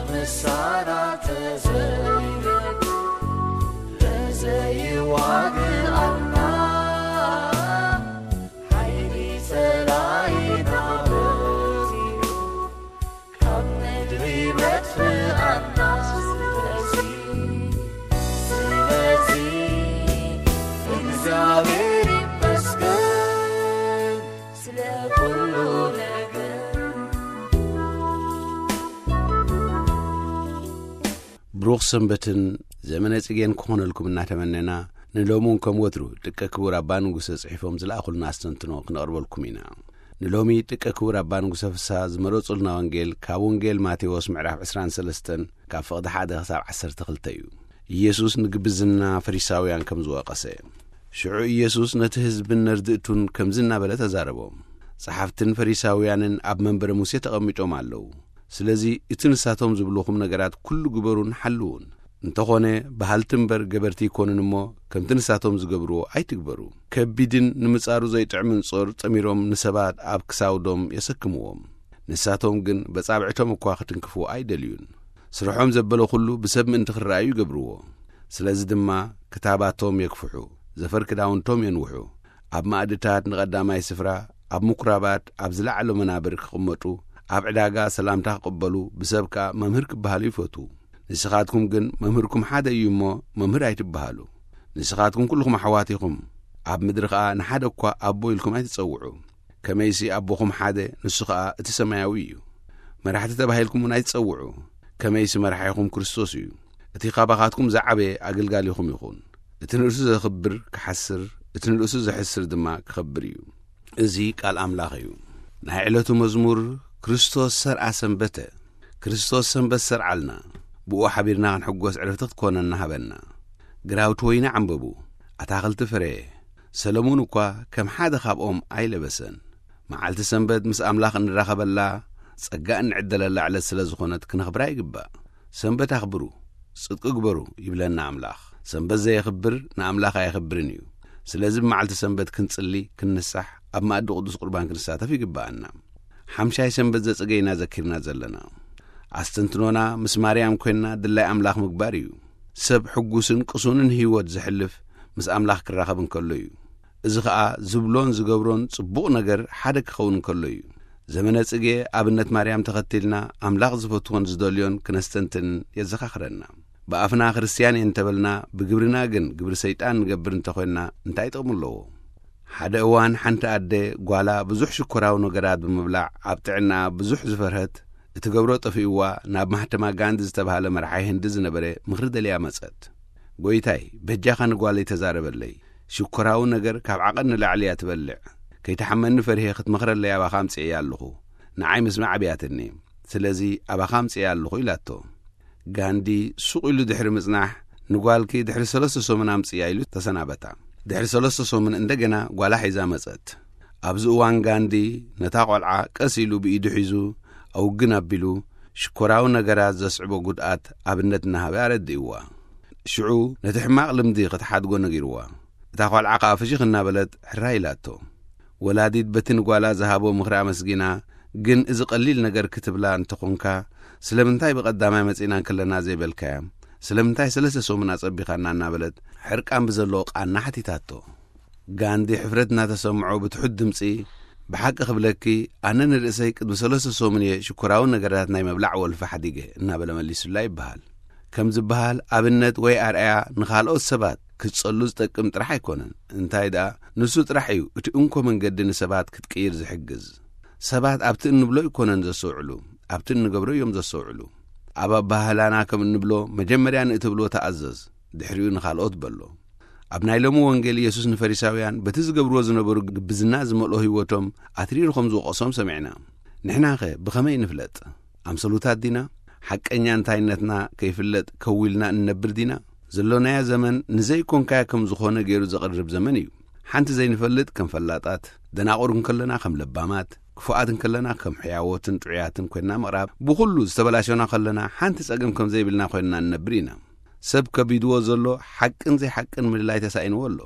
ምሳና ተዘይረድ ለዘይዋግኣና ሓይሊ ጸላኢና በዚሑ ካብ ምድሪ መጥፍኣና። ስለዚ፣ ስለዚ እግዚኣብሔር ይመስገን ስለ ኩሉ ነገር። ብሩኽ ሰንበትን ዘመነ ጽጌን ክኾነልኩም እናተመነና፣ ንሎሚ እውን ከም ወትሩ ደቀ ክቡር ኣባ ንጉሰ ጽሒፎም ዝለኣኹልና ኣስተንትኖ ክነቕርበልኩም ኢና። ንሎሚ ደቀ ክቡር ኣባ ንጉሰ ፍስሃ ዝመረጹልና ወንጌል ካብ ወንጌል ማቴዎስ ምዕራፍ ዕስራን ሰለስተን ካብ ፍቕዲ ሓደ ክሳብ ዓሰርተ ክልተ እዩ። ኢየሱስ ንግብዝና ፈሪሳውያን ከም ዝወቐሰ። ሽዑ ኢየሱስ ነቲ ህዝብን ነርድእቱን ከምዚ እናበለ ተዛረቦም። ጸሓፍትን ፈሪሳውያንን ኣብ መንበረ ሙሴ ተቐሚጦም ኣለዉ። ስለዚ እቲ ንሳቶም ዝብልኹም ነገራት ኩሉ ግበሩን ሓልዉን። እንተኾነ በሃልቲ እምበር ገበርቲ ይኮኑን እሞ ከምቲ ንሳቶም ዝገብርዎ ኣይትግበሩ። ከቢድን ንምጻሩ ዘይጥዕምን ጾር ጠሚሮም ንሰባት ኣብ ክሳውዶም የሰክምዎም። ንሳቶም ግን በጻብዕቶም እኳ ክትንክፍዎ ኣይደልዩን። ስርሖም ዘበለ ኩሉ ብሰብ ምእንቲ ክረኣዩ ይገብርዎ። ስለዚ ድማ ክታባቶም የግፍሑ፣ ዘፈር ክዳውንቶም የንውሑ። ኣብ ማእድታት ንቐዳማይ ስፍራ፣ ኣብ ምኩራባት ኣብ ዝለዓለ መናብር ክቕመጡ፣ ኣብ ዕዳጋ ሰላምታ ክቕበሉ፣ ብሰብ ከኣ መምህር ክበሃሉ ይፈትዉ። ንስኻትኩም ግን መምህርኩም ሓደ እዩ እሞ መምህር ኣይትበሃሉ። ንስኻትኩም ኩልኹም ኣሕዋት ኢኹም። ኣብ ምድሪ ከኣ ንሓደ እኳ ኣቦ ኢልኩም ኣይትጸውዑ። ከመይሲ ኣቦኹም ሓደ፣ ንሱ ኸኣ እቲ ሰማያዊ እዩ። መራሕቲ ተባሂልኩም እውን ኣይትጸውዑ። ከመይሲ መራሒኹም ክርስቶስ እዩ። እቲ ካባኻትኩም ዝዓበየ ኣገልጋሊኹም ይኹን። እቲ ንርእሱ ዘኽብር ክሓስር፣ እቲ ንርእሱ ዘሕስር ድማ ክኸብር እዩ። እዚ ቃል ኣምላኽ እዩ። ናይ ዕለቱ መዝሙር። ክርስቶስ ሰርዓ ሰንበተ። ክርስቶስ ሰንበት ሰርዓልና። ብኡ ሓቢርና ክንሕጎስ ዕረፍቲ ክትኮነና ሃበና። ግራውቲ ወይኒ ዓምበቡ፣ ኣታኽልቲ ፍረየ። ሰለሙን እኳ ከም ሓደ ካብኦም ኣይለበሰን። መዓልቲ ሰንበት ምስ ኣምላኽ እንራኸበላ፣ ጸጋ እንዕደለላ ዕለት ስለ ዝኾነት ክነኽብራ ይግባእ። ሰንበት ኣኽብሩ፣ ጽድቂ ግበሩ ይብለና ኣምላኽ። ሰንበት ዘየኽብር ንኣምላኽ ኣየኽብርን እዩ። ስለዚ ብመዓልቲ ሰንበት ክንጽሊ፣ ክንንሳሕ፣ ኣብ መኣዲ ቅዱስ ቁርባን ክንሳተፍ ይግብኣና። ሓምሻይ ሰንበት ዘጸገይና ዘኪርና ዘለና። ኣስተንትኖና ምስ ማርያም ኮይንና ድላይ ኣምላኽ ምግባር እዩ። ሰብ ሕጉስን ቅሱንን ህይወት ዘሕልፍ ምስ ኣምላኽ ክራኸብ እንከሎ እዩ። እዚ ኸኣ ዝብሎን ዝገብሮን ጽቡቕ ነገር ሓደ ክኸውን እንከሎ እዩ። ዘመነ ጽጌ ኣብነት ማርያም ተኸቲልና ኣምላኽ ዝፈትዎን ዝደልዮን ክነስተንትን የዘኻኽረና። ብኣፍና ክርስትያን እየ እንተበልና ብግብርና ግን ግብሪ ሰይጣን ንገብር እንተኾይንና እንታይ ጥቕሚ ኣለዎ? ሓደ እዋን ሓንቲ ኣደ ጓላ ብዙሕ ሽኮራዊ ነገራት ብምብላዕ ኣብ ጥዕናኣ ብዙሕ ዝፈርሀት፣ እትገብሮ ጠፊእዋ ናብ ማህተማ ጋንዲ ዝተባህለ መራሒ ህንዲ ዝነበረ ምኽሪ ደልያ መጸት። "ጎይታይ፣ በጃኻ ንጓለይ ተዛረበለይ። ሽኮራዊ ነገር ካብ ዓቐን ንላዕሊ እያ ትበልዕ። ከይትሓመኒ ፈሪሄ ክትመኽረለይ ኣባኻ ኣምጽኤያ ኣለኹ። ንዓይ ምስማዕ ኣብያትኒ። ስለዚ ኣባኻ ኣምጽኤያ ኣለኹ" ኢላቶ። ጋንዲ ሱቕ ኢሉ ድሕሪ ምጽናሕ፣ "ንጓልኪ ድሕሪ ሰለስተ ሰሙን ኣምጽእያ" ኢሉ ተሰናበታ። ድሕሪ ሰለስተ ሰሙን እንደገና ጓላ ሒዛ መጸት። ኣብዚ እዋን ጋንዲ ነታ ቆልዓ ቀስ ኢሉ ብኢዱ ሒዙ ኣውግን ኣቢሉ ሽኮራዊ ነገራት ዘስዕቦ ጉድኣት ኣብነት እናሃበ ኣረዲእዋ። ሽዑ ነቲ ሕማቕ ልምዲ ክትሓድጎ ነጊርዋ። እታ ቆልዓ ከኣ ፍሽኽ እናበለት ሕራይ ኢላቶ። ወላዲት በቲ ንጓላ ዝሃቦ ምኽሪ ኣመስጊና፣ "ግን እዚ ቀሊል ነገር ክትብላ እንተኾንካ፣ ስለምንታይ ብቐዳማይ መጺና እንከለና ዘይበልካያ? ስለምንታይ ሰለስተ ሰሙን ኣጸቢኻና?" እናበለት ሕርቃን ብዘለዎ ቃና ሓቲታቶ። ጋንዲ ሕፍረት እናተሰምዖ ብትሑት ድምጺ፣ "ብሓቂ ክብለኪ፣ ኣነ ንርእሰይ ቅድሚ ሰለስተ ሰሙን እየ ሽኮራዊ ነገራት ናይ ምብላዕ ወልፊ ሓዲገ" እናበለ መሊሱላ ይበሃል። ከም ዝበሃል፣ ኣብነት ወይ ኣርኣያ ንኻልኦት ሰባት ክትጸሉ ዝጠቅም ጥራሕ ኣይኮነን። እንታይ ደኣ፣ ንሱ ጥራሕ እዩ እቲ እንኮ መንገዲ ንሰባት ክትቅይር ዝሕግዝ። ሰባት ኣብቲ እንብሎ ኣይኮነን ዘስተውዕሉ፣ ኣብቲ እንገብሮ እዮም ዘስተውዕሉ። ኣብ ኣበሃህላና ከም እንብሎ፣ መጀመርያ ንእትብሎ ተኣዘዝ፣ ድሕሪኡ ንኻልኦት በሎ። ኣብ ናይ ሎሚ ወንጌል፣ ኢየሱስ ንፈሪሳውያን በቲ ዝገብርዎ ዝነበሩ ግብዝና ዝመልኦ ህይወቶም ኣትሪሩ ከም ዝወቐሶም ሰሚዕና። ንሕናኸ ብኸመይ ንፍለጥ? ኣምሰሉታት ዲና? ሓቀኛ እንታይነትና ከይፍለጥ ከዊልና እንነብር ዲና? ዘሎናዮ ዘመን ንዘይኮንካዮ ከም ዝኾነ ገይሩ ዘቕርብ ዘመን እዩ። ሓንቲ ዘይንፈልጥ ከም ፈላጣት፣ ደናቑር እንከለና ከም ለባማት፣ ክፉኣት እንከለና ከም ሕያዎትን ጥዑያትን ኮይንና ምቕራብ፣ ብኹሉ ዝተበላሸና ከለና ሓንቲ ጸገም ከም ዘይብልና ኮይንና ንነብር ኢና። ሰብ ከቢድዎ ዘሎ ሓቅን ዘይሓቅን ምልላይ ተሳኢንዎ ኣሎ።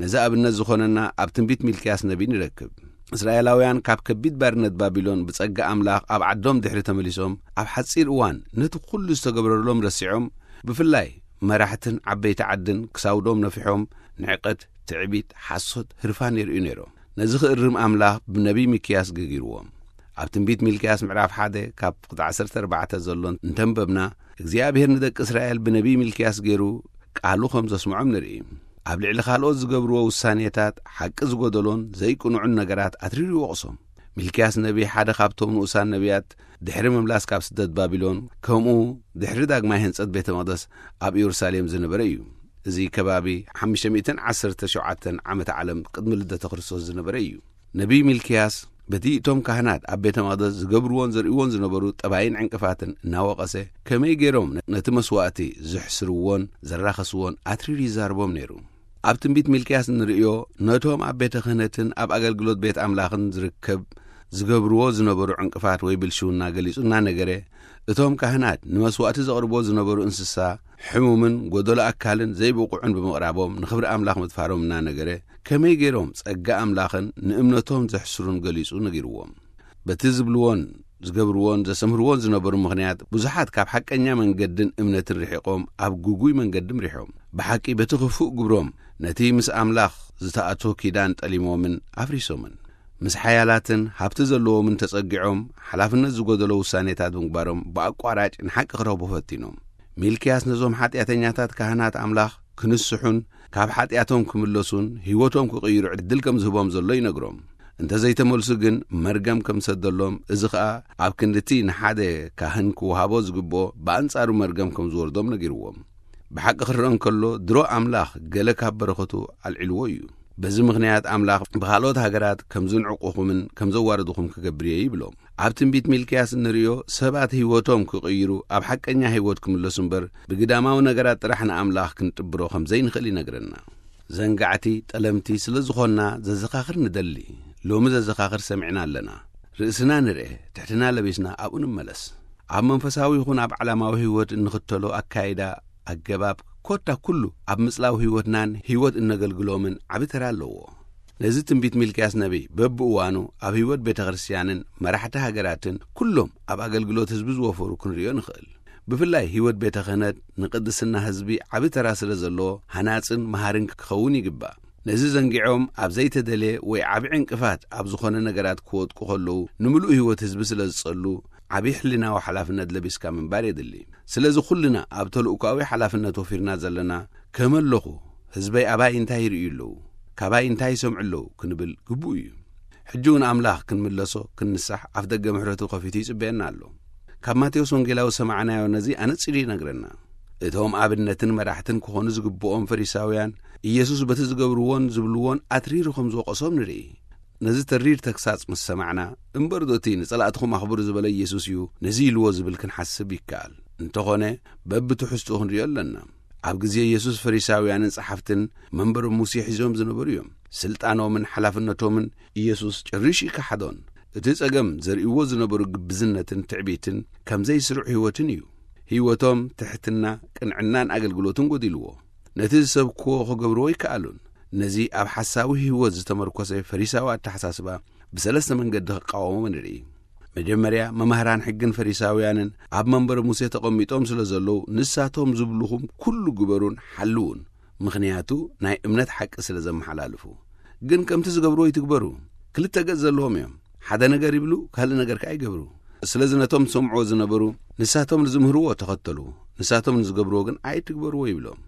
ነዚ ኣብነት ዝኾነና ኣብ ትንቢት ሚልክያስ ነቢይ ንረክብ። እስራኤላውያን ካብ ከቢድ ባርነት ባቢሎን ብጸጋ ኣምላኽ ኣብ ዓዶም ድሕሪ ተመሊሶም፣ ኣብ ሓጺር እዋን ነቲ ኩሉ ዝተገብረሎም ረሲዖም፣ ብፍላይ መራሕትን ዓበይቲ ዓድን ክሳውዶም ነፊሖም፣ ንዕቀት፣ ትዕቢት፣ ሓሶት፣ ህርፋን የርእዩ ነይሮም። ነዚ ክእርም ኣምላኽ ብነቢይ ሚክያስ ገጊርዎም። ኣብ ትንቢት ሚልክያስ ምዕራፍ ሓደ ካብ ቁጥሪ ዓሰርተ ኣርባዕተ ዘሎ እንተንበብና፣ እግዚኣብሔር ንደቂ እስራኤል ብነቢይ ሚልክያስ ገይሩ ቃሉ ከም ዘስምዖም ንርኢ። ኣብ ልዕሊ ካልኦት ዝገብርዎ ውሳኔታት ሓቂ ዝጎደሎን ዘይቅኑዕን ነገራት ኣትሪሩ ይወቕሶም። ሚልክያስ ነቢይ ሓደ ካብቶም ንኡሳን ነቢያት ድሕሪ ምምላስ ካብ ስደት ባቢሎን፣ ከምኡ ድሕሪ ዳግማይ ህንጸት ቤተ መቕደስ ኣብ ኢየሩሳሌም ዝነበረ እዩ። እዚ ከባቢ ሓሙሽተ ሚእትን ዓሰርተ ሸውዓተን ዓመተ ዓለም ቅድሚ ልደተ ክርስቶስ ዝነበረ እዩ። ነቢይ ሚልክያስ በቲ እቶም ካህናት ኣብ ቤተ መቕደስ ዝገብርዎን ዘርእይዎን ዝነበሩ ጠባይን ዕንቅፋትን እናወቐሰ፣ ከመይ ገይሮም ነቲ መስዋእቲ ዝሕስርዎን ዘራኸስዎን ኣትሪሩ ይዛርቦም ነይሩ። ኣብ ትንቢት ሚልክያስ እንርእዮ፣ ነቶም ኣብ ቤተ ክህነትን ኣብ ኣገልግሎት ቤት ኣምላኽን ዝርከብ ዝገብርዎ ዝነበሩ ዕንቅፋት ወይ ብልሽውና ገሊጹ እናነገረ፣ እቶም ካህናት ንመስዋእቲ ዘቕርቦ ዝነበሩ እንስሳ ሕሙምን ጎደሎ ኣካልን ዘይብቑዕን ብምቕራቦም ንኽብሪ ኣምላኽ ምጥፋሮም እናነገረ፣ ከመይ ገይሮም ጸጋ ኣምላኽን ንእምነቶም ዘሕስሩን ገሊጹ ነጊርዎም። በቲ ዝብልዎን ዝገብርዎን ዘሰምህርዎን ዝነበሩ ምኽንያት፣ ብዙሓት ካብ ሓቀኛ መንገድን እምነትን ርሒቖም ኣብ ግጉይ መንገዲ ምሪሖም። ብሓቂ በቲ ክፉእ ግብሮም ነቲ ምስ ኣምላኽ ዝተኣትዎ ኪዳን ጠሊሞምን ኣፍሪሶምን። ምስ ሓያላትን ሃብቲ ዘለዎምን ተጸጊዖም ሓላፍነት ዝጎደሎ ውሳኔታት ብምግባሮም ብኣቋራጭ ንሓቂ ክረኽቡ ፈቲኖም። ሚልክያስ ነዞም ሓጢኣተኛታት ካህናት ኣምላኽ ክንስሑን ካብ ሓጢኣቶም ክምለሱን ህይወቶም ክቕይሩ ዕድል ከም ዝህቦም ዘሎ ይነግሮም። እንተ ዘይተመልሱ ግን መርገም ከም ዝሰደሎም፣ እዚ ኸኣ ኣብ ክንድቲ ንሓደ ካህን ክወሃቦ ዝግብኦ ብኣንጻሩ መርገም ከም ዝወርዶም ነጊርዎም። ብሓቂ ክረአ እንከሎ ድሮ ኣምላኽ ገለ ካብ በረኸቱ ኣልዒልዎ እዩ። በዚ ምኽንያት ኣምላኽ ብኻልኦት ሃገራት ከም ዝንዕቁኹምን ከም ዘዋርድኹም ክገብር እየ ይብሎም። ኣብ ትንቢት ሚልክያስ እንርእዮ ሰባት ህይወቶም ክቕይሩ ኣብ ሓቀኛ ህይወት ክምለሱ እምበር ብግዳማዊ ነገራት ጥራሕ ንኣምላኽ ክንጥብሮ ከም ዘይንኽእል ይነግረና። ዘንጋዕቲ፣ ጠለምቲ ስለ ዝኾንና ዘዘኻኽር ንደሊ። ሎሚ ዘዘኻኽር ሰሚዕና ኣለና። ርእስና ንርኤ፣ ትሕትና ለቢስና ኣብኡ ንመለስ። ኣብ መንፈሳዊ ይኹን ኣብ ዓለማዊ ህይወት እንኽተሎ ኣካይዳ፣ ኣገባብ፣ ኮታ ኩሉ ኣብ ምጽላው ህይወትናን ህይወት እነገልግሎምን ዓቢ ተራ ኣለዎ። ነዚ ትንቢት ሚልክያስ ነቢይ በብእዋኑ ኣብ ህይወት ቤተ ክርስቲያንን መራሕቲ ሃገራትን ኩሎም ኣብ ኣገልግሎት ህዝቢ ዝወፈሩ ክንርእዮ ንኽእል። ብፍላይ ህይወት ቤተ ክህነት ንቅድስና ህዝቢ ዓቢ ተራ ስለ ዘለዎ፣ ሃናጽን መሃርን ክኸውን ይግባእ። ነዚ ዘንጊዖም ኣብ ዘይተደልየ ወይ ዓቢ ዕንቅፋት ኣብ ዝኾነ ነገራት ክወድቁ ከለዉ፣ ንምሉእ ህይወት ህዝቢ ስለ ዝጸሉ፣ ዓቢ ሕሊናዊ ሓላፍነት ለቢስካ ምንባር የድሊ። ስለዚ ኩልና ኣብ ተልእኮኣዊ ሓላፍነት ወፊርና ዘለና፣ ከመይ ኣለኹ? ህዝበይ ኣባይ እንታይ ይርእዩ ኣለዉ? ካባይ እንታይ ይሰምዑ ኣለዉ? ክንብል ግቡእ እዩ። ሕጂ እውን ኣምላኽ ክንምለሶ፣ ክንንሳሕ ኣፍ ደገ ምሕረቱ ከፊቱ ይጽበየና ኣሎ። ካብ ማቴዎስ ወንጌላዊ ሰማዕናዮ ነዚ ኣነጺሩ ይነግረና። እቶም ኣብነትን መራሕትን ክኾኑ ዝግብኦም ፈሪሳውያን፣ ኢየሱስ በቲ ዝገብርዎን ዝብልዎን ኣትሪሩ ከም ዝወቐሶም ንርኢ። ነዚ ተሪር ተግሳጽ ምስ ሰማዕና፣ እምበር ዶ እቲ "ንጸላእትኹም ኣኽብሩ" ዝበለ ኢየሱስ እዩ ነዚ ኢልዎ ዝብል ክንሓስብ ይከኣል። እንተኾነ፣ በብትሕዝትኡ ክንርእዮ ኣለና። ኣብ ግዜ ኢየሱስ ፈሪሳውያንን ጸሓፍትን መንበሮም ሙሴ ሒዞም ዝነበሩ እዮም። ስልጣኖምን ሓላፍነቶምን ኢየሱስ ጭርሽ ይከሓዶን። እቲ ጸገም ዘርእይዎ ዝነበሩ ግብዝነትን ትዕቢትን ከም ዘይስሩዕ ህይወትን እዩ። ህይወቶም ትሕትና፣ ቅንዕናን ኣገልግሎትን ጎዲልዎ። ነቲ ዝሰብክዎ ክገብርዎ ኣይከኣሉን። ነዚ ኣብ ሓሳዊ ህይወት ዝተመርኮሰ ፈሪሳዊ ኣተሓሳስባ ብሰለስተ መንገዲ ክቃወሞ ንርኢ። መጀመርያ፣ መማህራን ሕግን ፈሪሳውያንን ኣብ መንበረ ሙሴ ተቐሚጦም ስለ ዘለዉ፣ ንሳቶም ዝብልኹም ኩሉ ግበሩን ሓልዉን፣ ምኽንያቱ ናይ እምነት ሓቂ ስለ ዘመሓላልፉ። ግን ከምቲ ዝገብርዎ ይትግበሩ። ክልተ ገጽ ዘለዎም እዮም። ሓደ ነገር ይብሉ፣ ካልእ ነገር ከኣ ይገብሩ። ስለዚ ነቶም ዝሰምዕዎ ዝነበሩ፣ ንሳቶም ንዝምህርዎ ተኸተሉ፣ ንሳቶም ንዝገብርዎ ግን ኣይትግበርዎ ይብሎም።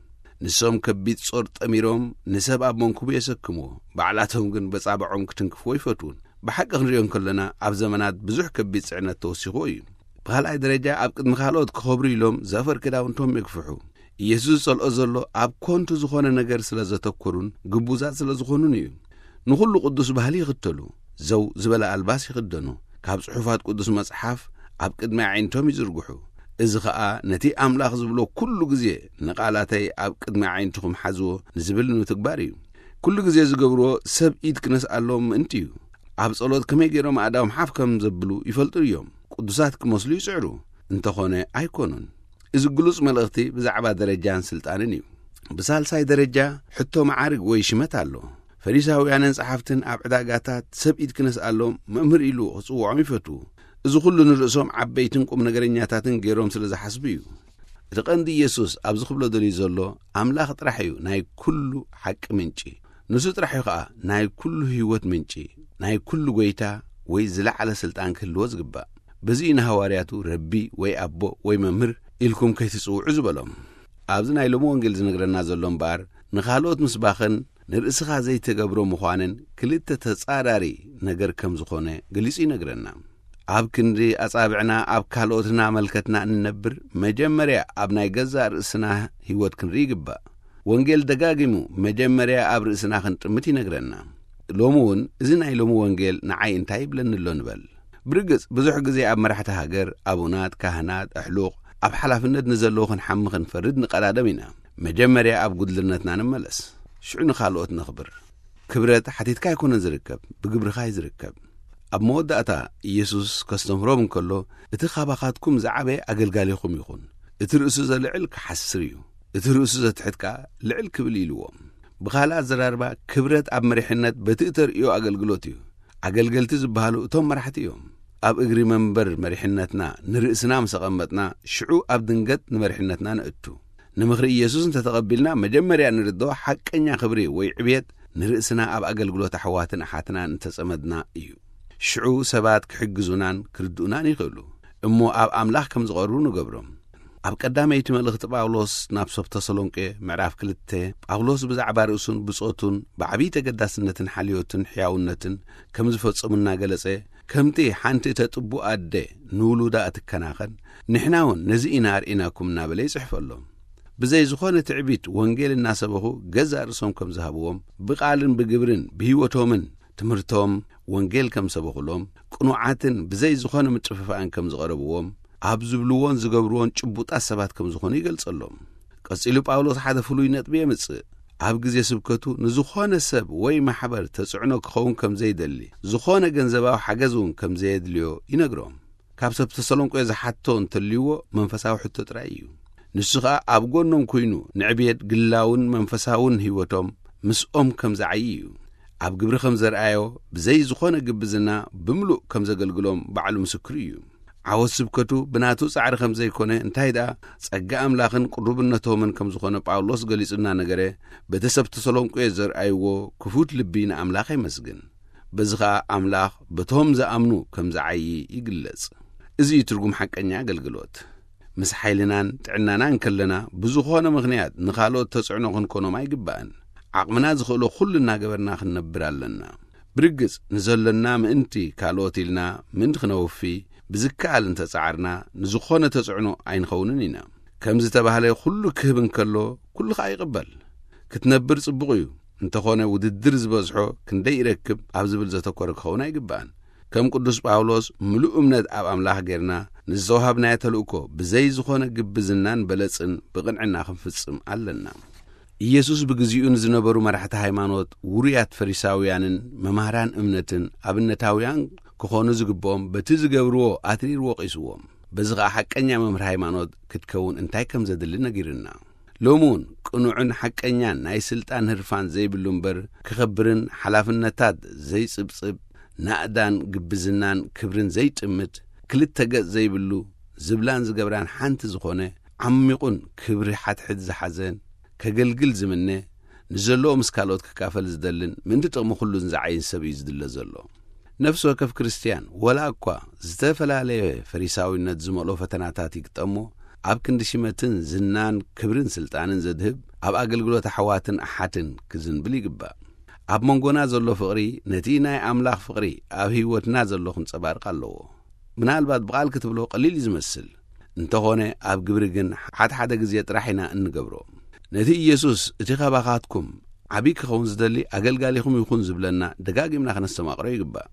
ንሶም ከቢድ ጾር ጠሚሮም ንሰብ ኣብ መንኩቡ የሰክምዎ፣ ባዕላቶም ግን በጻብዖም ክትንክፍዎ ይፈትዉን። ብሓቂ ክንርእዮ እንከለና፣ ኣብ ዘመናት ብዙሕ ከቢድ ጽዕነት ተወሲኽዎ እዩ። ብኻልኣይ ደረጃ፣ ኣብ ቅድሚ ካልኦት ክኸብሩ ኢሎም ዘፈር ክዳውንቶም የግፍሑ። ኢየሱስ ዝጸልኦ ዘሎ ኣብ ኮንቱ ዝኾነ ነገር ስለ ዘተኮሩን ግቡዛት ስለ ዝኾኑን እዩ። ንኹሉ ቅዱስ ባህሊ ይኽተሉ። ዘው ዝበለ ኣልባስ ይኽደኑ። ካብ ጽሑፋት ቅዱስ መጽሓፍ ኣብ ቅድሚ ኣዒንቶም ይዝርግሑ። እዚ ኸኣ ነቲ ኣምላኽ ዝብሎ ኩሉ ግዜ፣ "ንቓላተይ ኣብ ቅድሚ ኣዒንትኹም ሓዝዎ" ንዝብል ንምትግባር እዩ። ኩሉ ግዜ ዝገብርዎ ሰብ ኢድ ክነስኣሎም ምእንቲ እዩ። ኣብ ጸሎት ከመይ ገይሮም ኣእዳዎም ሓፍ ከም ዘብሉ ይፈልጡ እዮም። ቅዱሳት ክመስሉ ይጽዕሩ። እንተኾነ ኣይኮኑን። እዚ ግሉጽ መልእኽቲ ብዛዕባ ደረጃን ስልጣንን እዩ። ብሳልሳይ ደረጃ፣ ሕቶ መዓርግ ወይ ሽመት ኣሎ። ፈሪሳውያንን ጸሓፍትን ኣብ ዕዳጋታት ሰብ ኢድ ክነስኣሎም መምህር ኢሉ ክጽውዖም ይፈቱ። እዚ ኩሉ ንርእሶም ዓበይትን ቁም ነገረኛታትን ገይሮም ስለ ዝሓስቡ እዩ። እቲ ቀንዲ ኢየሱስ ኣብዚ ክብሎ ደልዩ ዘሎ፣ ኣምላኽ ጥራሕ እዩ ናይ ኩሉ ሓቂ ምንጪ። ንሱ ጥራሕ እዩ ኸኣ ናይ ኩሉ ህይወት ምንጪ፣ ናይ ኩሉ ጐይታ ወይ ዝለዓለ ስልጣን ክህልዎ ዝግባእ። በዚ እዩ ንሃዋርያቱ ረቢ ወይ ኣቦ ወይ መምህር ኢልኩም ከይትጽውዑ ዝበሎም። ኣብዚ ናይ ሎሚ ወንጌል ዝነግረና ዘሎ እምበኣር፣ ንኻልኦት ምስባኽን ንርእስኻ ዘይተገብሮ ምዃንን ክልተ ተጻራሪ ነገር ከም ዝኾነ ገሊጹ ይነግረና። ኣብ ክንዲ ኣጻብዕና ኣብ ካልኦትና መልከትና እንነብር፣ መጀመርያ ኣብ ናይ ገዛእ ርእስና ህይወት ክንርኢ ይግባእ። ወንጌል ደጋጊሙ መጀመርያ ኣብ ርእስና ክንጥምት ይነግረና። ሎሚ እውን እዚ ናይ ሎሚ ወንጌል ንዓይ እንታይ ይብለኒ ኣሎ ንበል። ብርግጽ ብዙሕ ግዜ ኣብ መራሕቲ ሃገር፣ ኣቡናት፣ ካህናት፣ ኣሕሉቕ፣ ኣብ ሓላፍነት ንዘለዉ ክንሓሚ ክንፈርድ ንቐዳደም ኢና። መጀመርያ ኣብ ጉድልነትና ንመለስ፣ ሽዑ ንኻልኦት ነኽብር። ክብረት ሓቲትካ ኣይኮነን ዝርከብ፣ ብግብርኻ እዩ ዝርከብ። ኣብ መወዳእታ ኢየሱስ ከስተምህሮም እንከሎ፣ እቲ ካባኻትኩም ዝዓበየ ኣገልጋሊኹም ይኹን፣ እቲ ርእሱ ዘልዕል ክሓስር እዩ፣ እቲ ርእሱ ዘትሕት ከኣ ልዕል ክብል ኢልዎም። ብኻልእ ኣዘራርባ፣ ክብረት ኣብ መሪሕነት በቲ እተርእዮ ኣገልግሎት እዩ። ኣገልገልቲ ዝበሃሉ እቶም መራሕቲ እዮም። ኣብ እግሪ መንበር መሪሕነትና ንርእስና ምስ ኣቐመጥና፣ ሽዑ ኣብ ድንገት ንመሪሕነትና ንእቱ። ንምኽሪ ኢየሱስ እንተተቐቢልና፣ መጀመርያ ንርድኦ ሓቀኛ ክብሪ ወይ ዕብየት ንርእስና ኣብ ኣገልግሎት ኣሕዋትን ኣሓትናን እንተጸመድና እዩ። ሽዑ ሰባት ክሕግዙናን ክርድኡናን ይኽእሉ። እሞ ኣብ ኣምላኽ ከም ዝቐርቡ ንገብሮም። ኣብ ቀዳመይቲ መልእኽቲ ጳውሎስ ናብ ሰብ ተሰሎንቄ ምዕራፍ ክልተ፣ ጳውሎስ ብዛዕባ ርእሱን ብጾቱን ብዓብዪ ተገዳስነትን ሓልዮትን ሕያውነትን ከም ዝፈጸሙ እናገለጸ፣ ከምቲ ሓንቲ እተጥቡ ኣደ ንውሉዳ እትከናኸን፣ ንሕና እውን ነዚ ኢና ኣርኢናኩም እናበለ ይጽሕፈሎም። ብዘይ ዝኾነ ትዕቢት ወንጌል እናሰበኹ ገዛእ ርእሶም ከም ዝሃብዎም፣ ብቓልን ብግብርን ብህይወቶምን ትምህርቶም ወንጌል ከም ሰበኹሎም፣ ቅኑዓትን ብዘይ ዝኾነ ምጥፍፋእን ከም ዝቐረብዎም፣ ኣብ ዝብልዎን ዝገብርዎን ጭቡጣት ሰባት ከም ዝኾኑ ይገልጸሎም። ቀጺሉ ጳውሎስ ሓደ ፍሉይ ነጥቢ የምጽእ። ኣብ ግዜ ስብከቱ ንዝኾነ ሰብ ወይ ማሕበር ተጽዕኖ ክኸውን ከም ዘይደሊ፣ ዝኾነ ገንዘባዊ ሓገዝ እውን ከም ዘየድልዮ ይነግሮም። ካብ ሰብ ተሰሎንቄ ዝሓቶ እንተልይዎ መንፈሳዊ ሕቶ ጥራይ እዩ። ንሱ ኸኣ ኣብ ጎኖም ኮይኑ ንዕብየት ግላውን መንፈሳውን ህይወቶም ምስኦም ከም ዝዓዪ እዩ። ኣብ ግብሪ ከም ዘርኣዮ ብዘይ ዝኾነ ግብዝና ብምሉእ ከም ዘገልግሎም ባዕሉ ምስክሩ እዩ። ዓወት ስብከቱ ብናቱ ጻዕሪ ከም ዘይኮነ፣ እንታይ ደኣ ጸጋ ኣምላኽን ቅሩብነቶምን ከም ዝኾነ ጳውሎስ ገሊጹ እናነገረ፣ በቲ ሰብ ተሰሎንቄ ዘርኣይዎ ክፉት ልቢ ንኣምላኽ የመስግን። በዚ ኸኣ ኣምላኽ በቶም ዝኣምኑ ከም ዝዓዪ ይግለጽ። እዚ እዩ ትርጉም ሓቀኛ ኣገልግሎት። ምስ ሓይልናን ጥዕናናን ከለና ብዝኾነ ምኽንያት ንኻልኦት ተጽዕኖ ክንኮኖም ኣይግባእን። ዓቕምና ዝኽእሎ ኩሉ እናገበርና ክንነብር ኣለና። ብርግጽ ንዘሎና ምእንቲ ካልኦት ኢልና ምእንቲ ክነውፊ ብዝከኣል እንተጸዓርና ንዝኾነ ተጽዕኖ ኣይንኸውንን ኢና። ከም ዝተባህለ ኩሉ ክህብ እንከሎ ኩሉ ኸኣ ይቕበል። ክትነብር ጽቡቕ እዩ፣ እንተኾነ ውድድር ዝበዝሖ ክንደይ ይረክብ ኣብ ዝብል ዘተኮረ ክኸውን ኣይግባእን። ከም ቅዱስ ጳውሎስ ምሉእ እምነት ኣብ ኣምላኽ ጌርና ንዝተዋሃብናዮ ተልእኮ ብዘይ ዝኾነ ግብዝናን በለጽን ብቕንዕና ክንፍጽም ኣለና። ኢየሱስ ብግዚኡ ንዝነበሩ መራሕቲ ሃይማኖት፣ ውሩያት ፈሪሳውያንን መማህራን እምነትን ኣብነታውያን ክኾኑ ዝግብኦም በቲ ዝገብርዎ ኣትሪሩ ወቒስዎም። በዚ ኸኣ ሓቀኛ መምህር ሃይማኖት ክትከውን እንታይ ከም ዘድሊ ነጊርና። ሎሚ እውን ቅኑዕን ሓቀኛን ናይ ስልጣን ህርፋን ዘይብሉ እምበር፣ ክኸብርን ሓላፍነታት ዘይጽብጽብ፣ ናእዳን ግብዝናን ክብርን ዘይጥምት፣ ክልተ ገጽ ዘይብሉ፣ ዝብላን ዝገብራን ሓንቲ ዝኾነ፣ ዓሚቑን ክብሪ ሓድሕድ ዝሓዘን፣ ከገልግል ዝምነ፣ ንዘለዎ ምስ ካልኦት ክካፈል ዝደልን ምእንቲ ጥቕሚ ኩሉን ዝዓይን ሰብ እዩ ዝድለ ዘሎ። ነፍሲ ወከፍ ክርስትያን፣ ወላ እኳ ዝተፈላለየ ፈሪሳዊነት ዝመልኦ ፈተናታት ይግጠሞ፣ ኣብ ክንዲ ሽመትን ዝናን ክብርን ስልጣንን ዘድህብ፣ ኣብ ኣገልግሎት ኣሕዋትን ኣሓትን ክዝንብል ይግባእ። ኣብ መንጎና ዘሎ ፍቕሪ፣ ነቲ ናይ ኣምላኽ ፍቕሪ ኣብ ህይወትና ዘሎ ክንጸባርቕ ኣለዎ። ምናልባት ብቓል ክትብሎ ቀሊል እዩ ዝመስል፣ እንተኾነ ኣብ ግብሪ ግን ሓድሓደ ግዜ ጥራሕ ኢና እንገብሮ። ነቲ ኢየሱስ፣ "እቲ ኻባኻትኩም ዓቢ ክኸውን ዝደሊ ኣገልጋሊኹም ይኹን" ዝብለና ደጋጊምና ከነስተማቕሮ ይግባእ።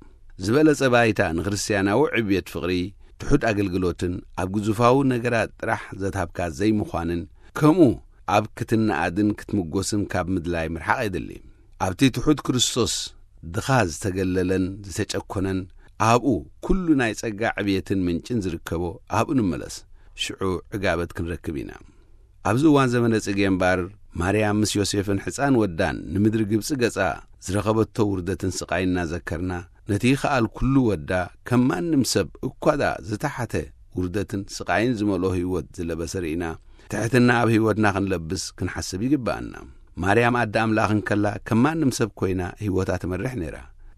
ዝበለጸ ባይታ ንክርስትያናዊ ዕብየት ፍቕሪ፣ ትሑት ኣገልግሎትን ኣብ ግዙፋዊ ነገራት ጥራሕ ዘትሃብካ ዘይምዃንን፣ ከምኡ ኣብ ክትነኣድን ክትምጎስን ካብ ምድላይ ምርሓቕ የድሊ። ኣብቲ ትሑት ክርስቶስ ድኻ ዝተገለለን ዝተጨኮነን፣ ኣብኡ ኩሉ ናይ ጸጋ ዕብየትን ምንጭን ዝርከቦ ኣብኡ ንመለስ። ሽዑ ዕጋበት ክንረክብ ኢና። ኣብዚ እዋን ዘመነ ጽጌ እምበኣር፣ ማርያም ምስ ዮሴፍን ሕጻን ወዳን ንምድሪ ግብጺ ገጻ ዝረኸበቶ ውርደትን ስቓይን እናዘከርና፣ ነቲ ይኸኣል ኩሉ ወዳ ከም ማንም ሰብ እኳ ደኣ ዝተሓተ ውርደትን ስቓይን ዝመልኦ ህይወት ዝለበሰ ርኢና፣ ትሕትና ኣብ ህይወትና ክንለብስ ክንሓስብ ይግብኣና። ማርያም ኣደ ኣምላኽ እንከላ ከም ማንም ሰብ ኮይና ህይወታ ትመርሕ ነይራ።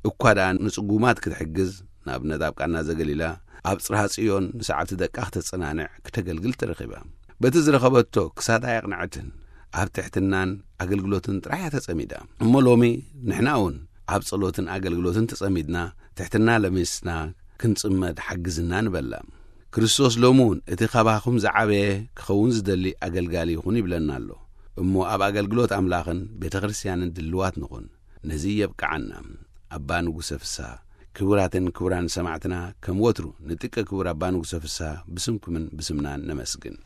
እኳ ደኣ ንጽጉማት ክትሕግዝ፣ ንኣብነት ኣብ ቃና ዘገሊላ፣ ኣብ ጽርሃ ጽዮን ንሰዓብቲ ደቃ ክተጸናንዕ ክተገልግል ተረኺባ። በቲ ዝረኸበቶ ክሳዳ ኣየቕንዐትን፣ ኣብ ትሕትናን ኣገልግሎትን ጥራሕ እያ ተጸሚዳ። እሞ ሎሚ ንሕና እውን ኣብ ጸሎትን ኣገልግሎትን ተጸሚድና፣ ትሕትና ለሚስና ክንጽመድ ሓግዝና ንበላ። ክርስቶስ ሎሚ እውን እቲ ካባኹም ዝዓበየ ክኸውን ዝደሊ ኣገልጋሊ ይኹን ይብለና ኣሎ። እሞ ኣብ ኣገልግሎት ኣምላኽን ቤተ ክርስቲያንን ድልዋት ንኹን። ነዚ የብቅዓና። ኣባ ንጉሰ ፍስሃ፣ ክቡራትን ክቡራን ሰማዕትና፣ ከም ወትሩ ንጥቀ ክቡር ኣባ ንጉሰ ፍስሃ ብስምኩምን ብስምናን ነመስግን።